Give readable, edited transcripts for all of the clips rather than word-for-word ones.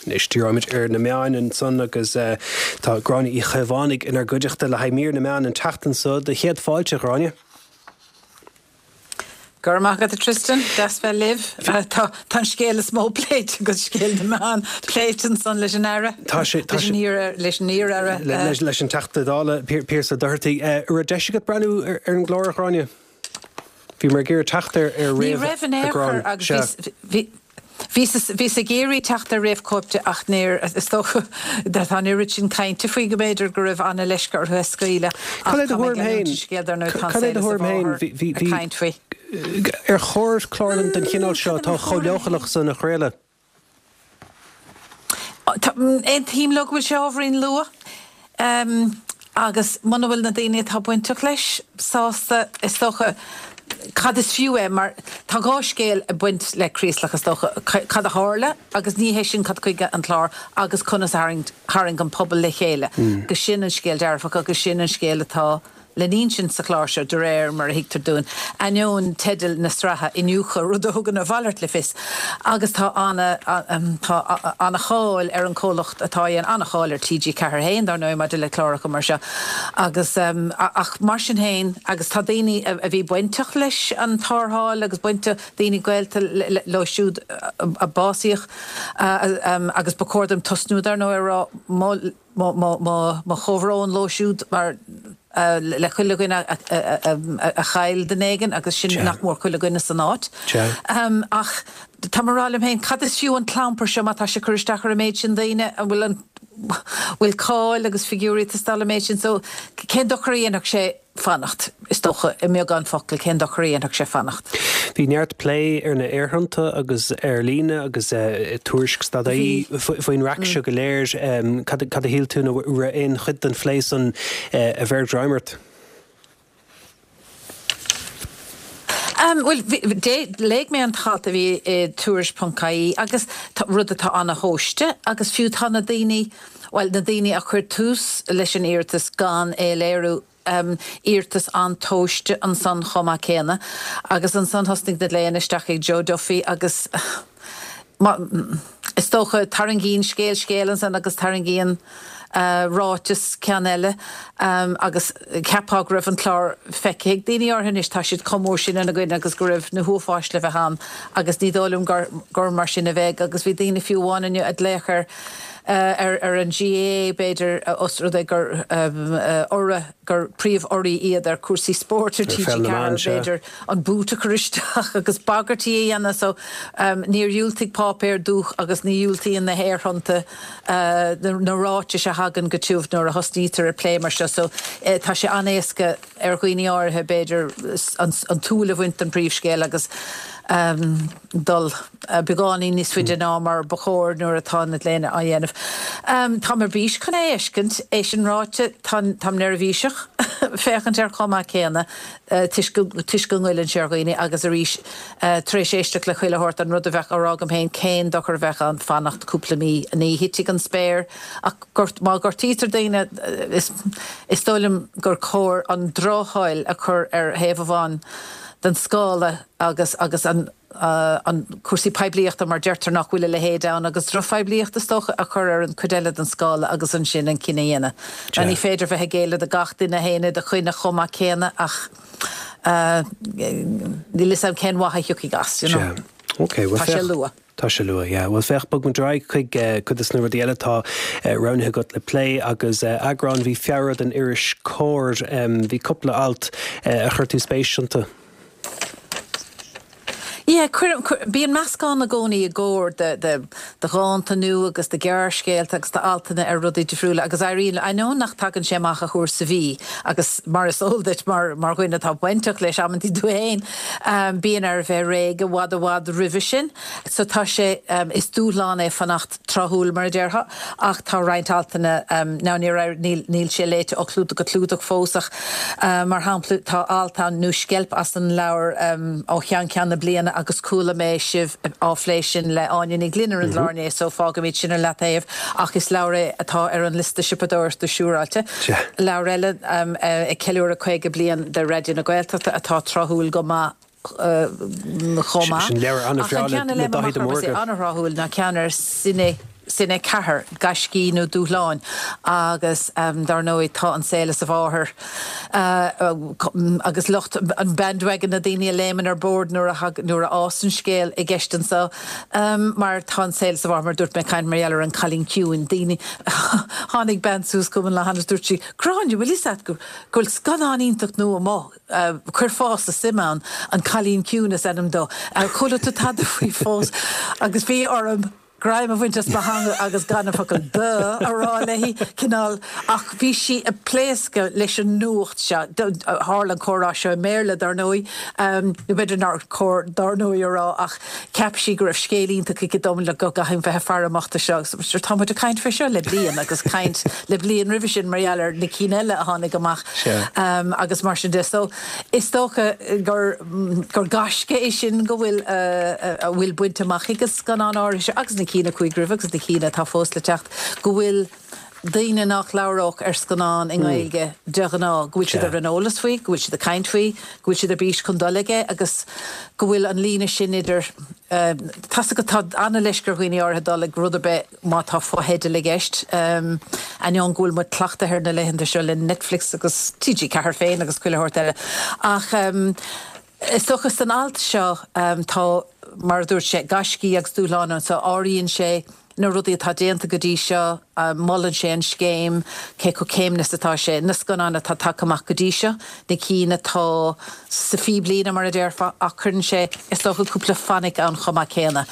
Anois díreoimid ar na meáin ansan agus tá Gráinne Uí Chaomhánaigh inár gcuideachta le haghaidh mír na meán an tseachtain seo. Do chéad fáilte, a Ghráinne. Go raibh maith agat, a Tristan. Deas bheith libh. Tá an scéal is mó pléite agus scéal na meán pléite ansan leis an Aire. Tá sé, tá sé. Leis an iar-aire. Leis an Teachta Dála, Pearse Doherty. An raibh deis agat breathnú ar an gclár, a Ghráinne? Bhíomar ag iarraidh teacht ar réamh. Ní raibh in aon chor agus bhí. Bhíos ag iarraidh teacht ar réamhchóip de ach níor, is dócha, tá an oiread sin cainte faoi go mb'fhéidir go raibh an-leisce orthu é a scaoileadh ach tá mé ag leanúint an scéil dar ndóigh, tá an saol is a mháthair ag caint faoi. Ar chóir clár den chineál seo atá chomh leochaileach san a chraoladh? Aontaím leo go bhfuil sé ábhairín luath agus muna bhfuil na daoine atá bainteach leis sásta, is dócha, cad is fiú é mar tá dhá scéal ag baint le Craoslach is dócha, cad a tharla agus ní hé sin cad chuige an clár agus conas a tharraing an pobal le chéile agus sin an scéal dearfach agus sin an scéal atá le n-insint sa chlár seo, de réir mar a thuigtear dúinn, ainneoin teideal na sraithe, Iniúchadh, rud a thugann a mhalairt le fios. Agus tá ana, tá ana-cháil ar an chomhlacht atá á dhéanamh, ana-cháil ar TG4 féin, dar ndóigh, maidir le cláracha mar seo. Agus, ach mar sin féin, agus tá daoine a bhí bainteach leis an tarrtháil agus bainteach, daoine gaolta leo siúd a básaíodh, agus ba chóir dom tosnú, dar ndóigh, a rá, mo, Mo chomhbhrón leo siúd mar le chuile dhuine a chaill duine éigin agus sin nach mór chuile dhuine san áit. Ach tá mé ag rá liom féin, cad is fiú an clampar seo má tá sé ag cur isteach ar an méid sin daoine? An bhfuil an bhfuil cáil agus figiúirí ag teastáil an méid sin? So cén dochar a dhéanfadh sé? fanacht, is dócha, i mbeagán focal, cén dochar a dhéanfadh sé fanacht? Bhí neart plé ar na haerthonnta agus ar líne agus i Tuairisc dot ie faoin raic seo go léir. Cad a shíl tú nó raibh aon chuid den phlé san a bheir greim ort? Bhuel, léigh mé an t-alt a bhí i Tuairisc ponc ie agus rud atá ana-thomhaiste agus fiú tá na daoine, bhuel, na daoine a chuir tús leis an iarratas gan é a léiriú, iarratas an-tomhaiste ansan chomh maith céanna. Agus ansan thosnaigh na glaonna isteach ag Joe Duffy agus is dócha tarraingíonn scéal scéal ansan agus tarraingíonn ráiteas ceann eile agus cheapfá go raibh an clár feicthe ag daoine áirithe anois, tá siad chomh mór sin ina gcoinne agus go raibh na huafáis le bheith ann agus ní dóigh liom gur mar sin a bheidh agus bhí daoine fiú amháin inniu ag glaoch ar ar an GAA, b'fhéidir, os rud é gur urra, gur príomh-urraí iad ar chúrsaí spóirt ar TG4, b'fhéidir, an boot a chur isteach agus bagairtí a dhéanamh. So, níor dhiúltaigh páipéar dúch agus ní dhiúltaíonn na haerthonnta na ráitis a thagann go tiubh nuair a thosnaítear ag plé mar seo. So, tá sé an-éasca ar dhaoine áirithe, b'fhéidir, an tsúil a bhaint den phríomhscéal agus dul beagáinín níos faide ná mar ba chóir nuair atá na glaonna á dhéanamh. Táim ar bís chun é a fheiscint. É sin ráite, táim neirbhíseach féachaint air chomh maith céanna toisc toisc go ngoilleann sé ar dhaoine agus arís tar éis éisteacht le chuile shórt, an rud a bheadh á rá agam féin, cén dochar a bheadh ann fanacht cúpla mí? Ní thitfidh an spéir ach má ghortaítear daoine is dóigh liom gur chóir an drochthoil a chur ar thaobh amháin den scála agus agus an an cúrsaí poiblíochta mar deirtear nach bhfuil a leithéid ann agus drochphoiblíocht is dócha a chur ar an chuid eile den scála agus ansin an cinneadh a dhéanamh. Now ní féidir bheith ag géilleadh do gach duine a théann i do choinne chomh maith céanna ach níl 'fhios a'm cén mhaith a thiocfaidh as, you know. Ok, bhuel Tá sé luath. Tá sé luath, yeah. Bhuel féach, bog muid ar aghaidh chuig cuid de na rudaí eile atá roghnaithe agat le plé agus eagrán mhí Feabhra den iris Comhar. Bhí cúpla alt a chuir tú spéis iontu. Yeah, cuirim, bíonn meascán i gcónaí i gComhar de, de, de dhánta nua agus de ghearrscéalta agus d'altanna ar rudaí difriúla agus éiríonn, ainneoin nach dtagann sé amach ach uair sa mhí agus mar is eol duit mar, mar dhuine atá bainteach leis amantaí tú féin, bíonn air a bheith réidh i bhfad i bhfad roimhe sin. So tá sé, is dúshlán é fanacht tráthúil mar a déarfá ach tá roinnt altanna, now níor éirigh, níl, níl sé léite ó chlúdach go clúdach fós ach mar shampla tá alt ann nó sceilp as an leabhar Ó Cheann Ceann na Bliana agus chuala mé sibh á phlé sin le Áine Ní Ghlinn ar an gclár inné so fágfaimid sin ar leataobh ach is leabhar é atá ar an liosta siopadóireachta siúráilte. Leabhar eile ag ceiliúradh 50 bliain de Raidió na Gaeltachta atá tráthúil go maith chomh maith. Sin leabhar an-bhreá le Daithí de Mórdha. An-thráthúil ná ceann ar Cine. Cine 4, Gaiscí nó Dúshláin agus dar ndóigh tá an saol is a mháthair agus lucht an bandwagon, na daoine a léimeann ar bord nuair a nuair a fhásann scéal i gceist anseo mar tá an saol is a mháthair mar a dúirt mé ag caint mar gheall ar An Cailín Ciúin, daoine tháinig bean suas chugam an lá cheana is dúirt sí Gráinne, bhfuil fhios a't go bhfuil scannán iontach nua amuigh Chuirfeása suim ann, An Cailín Ciúin is ainm dó. Ar chuala tú tada faoi fós? Agus bhí orm greim a bhaint as mo theanga agus gan an focal 'duh' a rá léi, cineál, ach bhí sí ag pléascadh leis an nuacht seo. Tharla an comhrá seo i mBéarla, dar ndóigh, nó b'fhéidir nár chóir 'dar ndóigh' a rá, ach cheap sí go raibh scéal iontach aici dom le go gcaithfinn bheith ag faire amach do seo. Agus tá muid ag caint faoi seo le bliain agus caint le bliain roimhe sin mar gheall ar na cinn eile a tháinig amach. Agus mar sin de. So, is dócha gur gur gaisce é sin go bhfuil a bhfuil bainte amach ag an scannán áirithe seo agus na cinn a chuaigh roimhe agus na cinn atá fós le teacht, go bhfuil daoine nach labhródh ar scannán i nGaeilge de ghnáth, go bhfuil siad ar an eolas faoi, go bhfuil siad ag caint faoi, go bhfuil siad ar bís chun dul aige agus go bhfuil an líne sin idir, tá's agat tá an-leisce ar dhaoine áirithe dul ag rud ar bith má tá fotheidil i gceist, ainneoin go bhfuil muid cleachtaithe ar na laethanta seo le Netflix agus TG4 féin agus chuile shórt eile. Ach is dócha san alt seo tá, mar a dúirt sé, gaiscí agus dúshláin ann so áiríonn sé na rudaí atá déanta go dtí seo, molann sé an scéim, cé chomh céimnithe is atá sé, na scannáin atá tagtha amach go dtí seo, na cinn atá sa phíblíne mar a déarfá, ach cuireann sé, is dócha, cúpla fainic ann chomh maith céanna.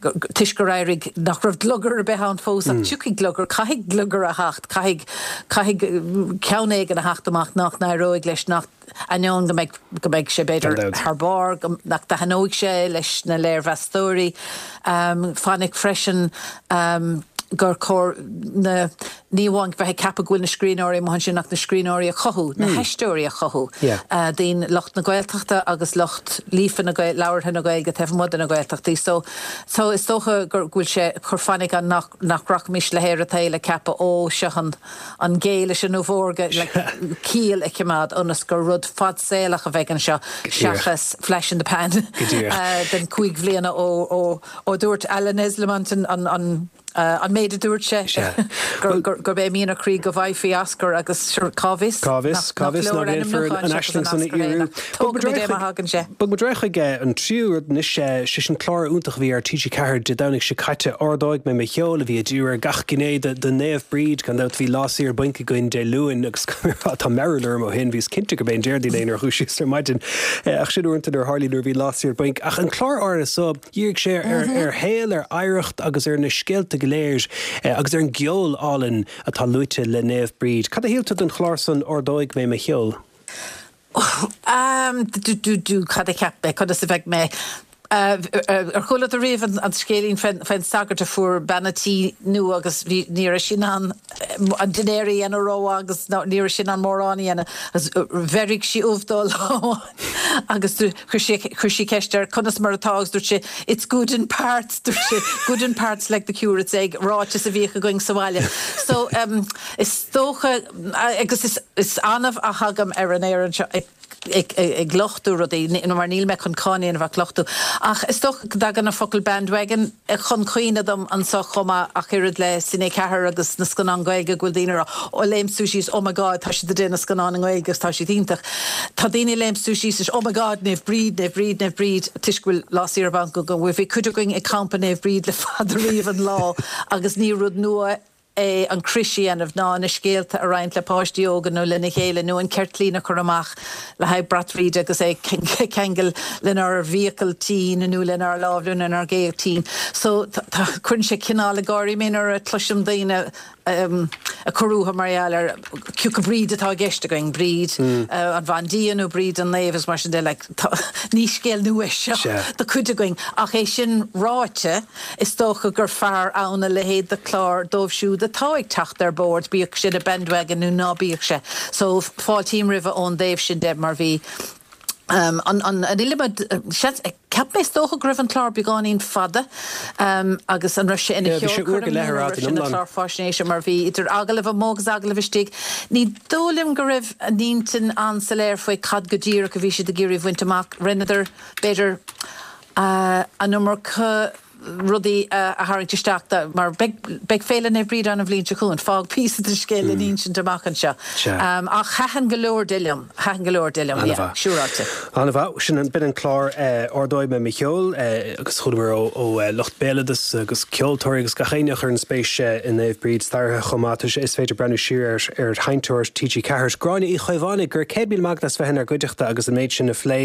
Toisc gur éirigh nach raibh gliogar ar bith ann fós ach tiocfaidh gliogar, caithfidh gliogar a theacht, caithfidh, caithfidh ceann éigin a theacht amach nach n-éireoidh leis, nach, ainneoin go mbeidh, go mbeidh sé b'fhéidir thar barr, go, nach dtaitneoidh sé leis na léirmheastóirí. Fainic freisin gur chóir na, ní amháin bheith ag ceapadh go bhfuil na scríbhneoirí amuigh ansin ach na scríbhneoirí a chothú, na haisteoirí a chothú, daoine, lucht na Gaeltachta agus lucht líofa na Gaeilge, labhartha na Gaeilge taobh amuigh de na Gaeltachtaí. So, so is dócha go bhfuil sé ag cur fainic ann nach, nach rachaimis le haer an tsaoil ag ceapadh ó, seo an, an gé leis an ubh órga, like, ciall a choimeád ionas gur rud fadsaolach a bheidh anseo seachas flash in the pan den chúig bhliana ó, ó, ó dúirt Alan Esslemont an, an, an, An méid a dúirt sé, gurb é mian a chroí go bhfaighfí Oscar agus sure, cá bhfios? Cá bhfios, cá bhfios nach ndéanfar an aisling san a fhíorú. Tógfaimid é má thagann sé. Bog muid ar aghaidh chuig an tríú rud anois, sé sin clár iontach a bhí ar TG4 Dé Domhnaigh seo caite, Ardóidh Mé Mo Cheol, a bhí ag díriú ar gach gné de Naomh Bríd. Gan dabht bhí lá saor bainc againn Dé Luain agus tá mearbhall orm ó shin, bhíos cinnte gurb é an Déardaoin é nuair a dhúisíos ar maidin. Ach sin uaireanta nuair a tharlaíonn nuair a bhíonn lá saor bainc. Ach an clár áirithe so, Dhírigh sé ar shaol, ar oidhreacht agus ar na scéalta go léir agus ar an gceol álainn atá luaite le Naomh Bríd. Cad a shíl tú den chlár san Ardóidh Mé Mo Cheol? Do, cad a cheap mé? Conas a bheidh mé? Ar chuala tú riamh an scéilín faoin sagart a fuair bean a' tí nua agus bhí, ní raibh sí in ann an dinnéar a dhéanamh rómhaith agus ní raibh sí in ann mórán a dhéanamh agus bheirigh sí ubh dó lá amháin agus Chuir sé, chuir sí ceist air conas mar atá agus dúirt sé it's good in parts, dúirt sé good in parts like the curate's egg, ráiteas a bhíodh againn sa bhaile. So em is dócha agus is, is annamh a thagaim ar an aer anseo ag, ag, ag lochtú rudaí mar níl mé chun cáineadh a dhéanamh ach lochtú. Ach is dócha go dtagann an focal bandwagon chun cuimhne dom anseo chomh maith ach oiread le Cine 4 agus na scannáin Ghaeilge go bhfuil daoine ag rá oh léim suas síos oh my god tá siad ag déanamh scannáin i nGaeilge agus tá siad iontach. Tá daoine ag léim suas síos is oh my god Naomh Bríd, Naomh Bríd, Naomh Bríd toisc go bhfuil Lá Saoire Bainc againn. Bhuel bhí cuid againn ag campa Naomh Bríd le fada riamh an lá agus ní rud nua é an crois a dhéanamh ná na scéalta a roinnt le páistí óga nó lena chéile nó an ceirtlín a chur amach le haghaidh brat Bhríde agus é a cheangal lenár bhfiacail tinn nó lenár lámh nó lenár gcéibh tinn. So tá, cuireann sé cineál ag gáirí mé nuair a chloisim daoine ag cur uathu mar gheall ar cé acu Bríd atá i gceist againn, Bríd an bhandia nó Bríd an naomh is mar sin de, like, tá, ní scéal nua é seo do chuid againn. Ach é sin ráite, Is dócha gur fearr ann a leithéid de chlár dóibh siúd atá ag teacht ar bord, bíodh sé ina bandwagon nó ná bíodh sé. So, fáiltím roimhe ón dtaobh sin de mar bhí an an an iliomad seans, cheap mé is dócha go raibh an clár beagáinín fada agus an raibh sé ina Yeah, bhí sé uair go cheolchoirm leith nó ar an fhad raibh in sé ina iomlán. chlár faisnéise mar bhí idir agallamh amuigh agus agallamh istigh. Ní dóigh liom go raibh a n-intinn an-soiléir faoi cad go díreach a bhí siad ag iarraidh a bhaint amach. Rinneadar, b'fhéidir, an iomarca. rudaí a tharraingt isteach de, mar beidh, beidh Féile Naomh Bríd ann an bhliain seo chugainn, fág píosa den scéal le n-insint amach anseo. Ach thaitin go leor de liom, thaitin go leor de liom, yeah, siúráilte. An-mhaith. Sin an, b'in an clár Ardóidh Mé Mo Cheol agus chualamar ó, ó lucht béaloideas agus ceoltóirí agus gach éinne a chuireann spéis i Naomh Bríd, staraithe chomh maith. Tá sé, is féidir breathnú siar ar, ar Sheinnteoir TG4. Gráinne Uí Chaomhánaigh, go raibh 100,000 maith agat as bheith inár gcuideachta agus an méid sin a phlé.